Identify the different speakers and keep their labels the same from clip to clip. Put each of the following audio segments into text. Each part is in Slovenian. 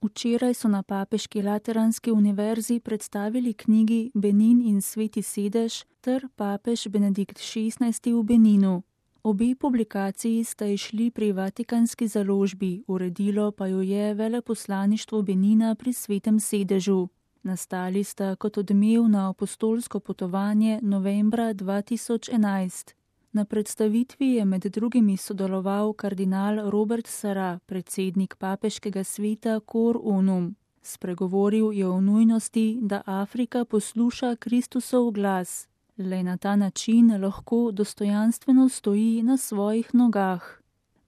Speaker 1: Včeraj so na Papeški Lateranski univerzi predstavili knjigi Benin in Sveti sedež ter Papež Benedikt XVI v Beninu. Obe publikaciji sta izšli pri Vatikanski založbi, uredilo pa jo je veleposlaništvo Benina pri Svetem sedežu. Nastali sta kot odmev na apostolsko potovanje novembra 2011. Na predstavitvi je med drugimi sodeloval kardinal Robert Sarah, predsednik papeškega sveta Cor Unum. Spregovoril je o nujnosti, da Afrika posluša Kristusov glas. Le na ta način lahko dostojanstveno stoji na svojih nogah.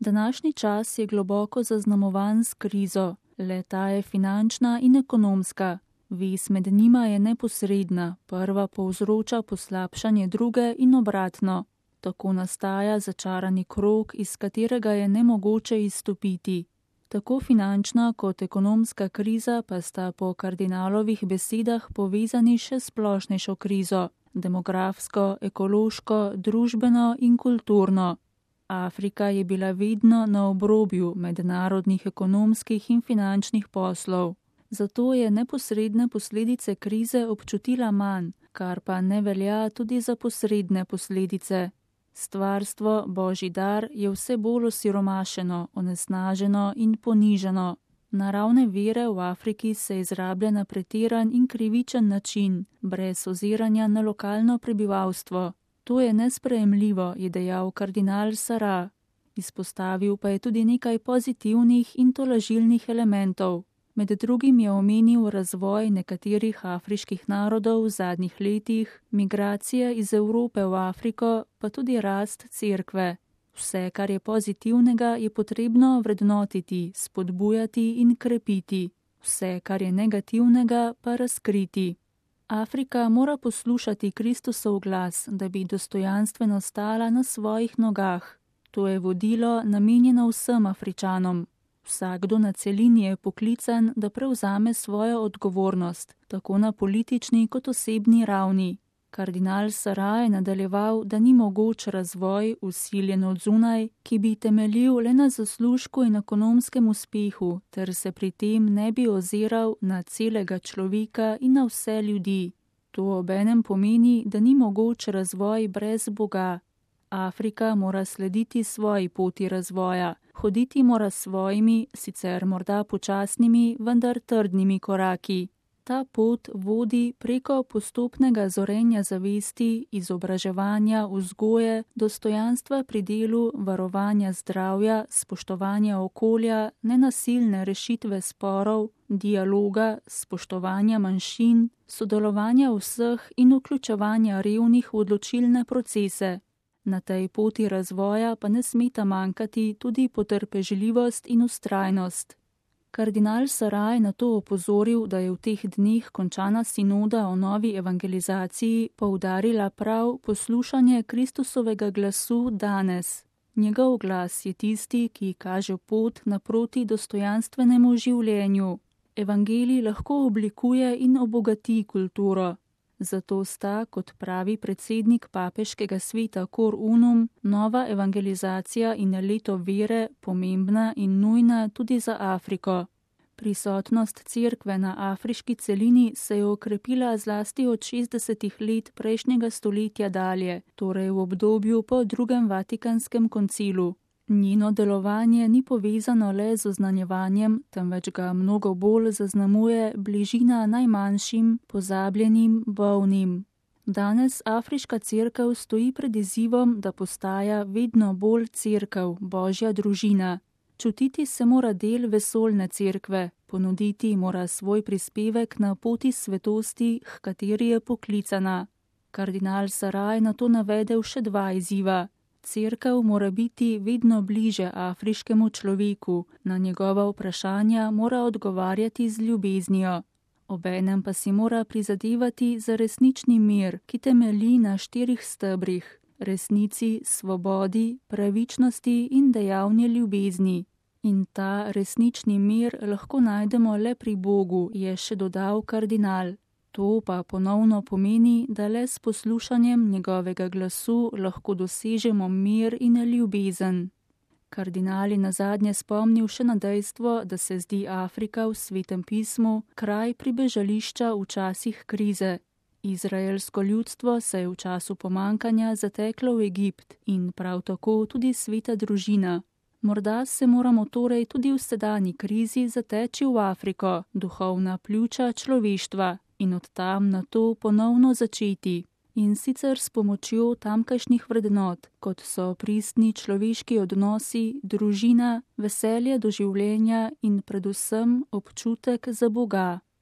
Speaker 1: Današnji čas je globoko zaznamovan s krizo. Le ta je finančna in ekonomska. Vez med njima je neposredna, prva povzroča poslabšanje druge in obratno. Tako nastaja začarani krog, iz katerega je nemogoče izstopiti. Tako finančna kot ekonomska kriza pa sta po kardinalovih besedah povezani še s splošnejšo krizo, demografsko, ekološko, družbeno in kulturno. Afrika je bila vedno na obrobju mednarodnih ekonomskih in finančnih poslov. Zato je neposredne posledice krize občutila manj, kar pa ne velja tudi za posredne posledice. Stvarstvo, božji dar, je vse bolj osiromašeno, onesnaženo in ponižano. Naravne vire v Afriki se izrablja na pretiran in krivičen način, brez oziranja na lokalno prebivalstvo. To je nesprejemljivo, je dejal kardinal Sarah. Izpostavil pa je tudi nekaj pozitivnih in tolažilnih elementov. Med drugim je omenil razvoj nekaterih afriških narodov v zadnjih letih, migracije iz Evrope v Afriko, pa tudi rast cerkve. Vse, kar je pozitivnega, je potrebno vrednotiti, spodbujati in krepiti. Vse, kar je negativnega, pa razkriti. Afrika mora poslušati Kristusov glas, da bi dostojanstveno stala na svojih nogah. To je vodilo namenjeno vsem Afričanom. Vsakdo na celini je poklican, da prevzame svojo odgovornost, tako na politični kot osebni ravni. Kardinal Sarah je nadaljeval, da ni mogoč razvoj, vsiljen od zunaj, ki bi temeljil le na zaslužku in ekonomskem uspehu, ter se pri tem ne bi oziral na celega človeka in na vse ljudi. To obenem pomeni, da ni mogoč razvoj brez Boga. Afrika mora slediti svoji poti razvoja, hoditi mora svojimi, sicer morda počasnimi, vendar trdnimi koraki. Ta pot vodi preko postopnega zorenja zavesti, izobraževanja, vzgoje, dostojanstva pri delu, varovanja zdravja, spoštovanja okolja, nenasilne rešitve sporov, dialoga, spoštovanja manjšin, sodelovanja vseh in vključevanja revnih v odločilne procese. Na tej poti razvoja pa ne smeta manjkati tudi potrpežljivost in vztrajnost. Kardinal Sarah je na to opozoril, da je v teh dneh končana sinoda o novi evangelizaciji poudarila prav poslušanje Kristusovega glasu danes. Njegov glas je tisti, ki kaže pot naproti dostojanstvenemu življenju. Evangelij lahko oblikuje in obogati kulturo. Zato sta, kot pravi predsednik papeškega sveta Cor Unum, nova evangelizacija in leto vere pomembna in nujna tudi za Afriko. Prisotnost cerkve na afriški celini se je okrepila zlasti od 60 let prejšnjega stoletja dalje, torej v obdobju po drugem Vatikanskem koncilu. Njeno delovanje ni povezano le z oznanjevanjem, temveč ga mnogo bolj zaznamuje bližina najmanjšim, pozabljenim, bolnim. Danes afriška cerkev stoji pred izzivom, da postaja vedno bolj cerkev, božja družina. Čutiti se mora del vesoljne cerkve, ponuditi mora svoj prispevek na poti svetosti, h kateri je poklicana. Kardinal Sarah je na to navedel še dva izziva. Cerkev mora biti vedno bliže afriškemu človeku, na njegova vprašanja mora odgovarjati z ljubeznijo. Obenem pa si mora prizadevati za resnični mir, ki temelji na 4 stebrih: resnici, svobodi, pravičnosti in dejavni ljubezni. In ta resnični mir lahko najdemo le pri Bogu, je še dodal kardinal. To pa ponovno pomeni, da le s poslušanjem njegovega glasu lahko dosežemo mir in ljubezen. Kardinal je nazadnje spomnil še na dejstvo, da se zdi Afrika v Svetem pismu kraj pribežališča v časih krize. Izraelsko ljudstvo se je v času pomankanja zateklo v Egipt in prav tako tudi sveta družina. Morda se moramo torej tudi v sedanji krizi zateči v Afriko, duhovna pljuča človeštva, in od tam na to ponovno začeti. In sicer s pomočjo tamkajšnjih vrednot, kot so pristni človeški odnosi, družina, veselje do življenja in predvsem občutek za Boga.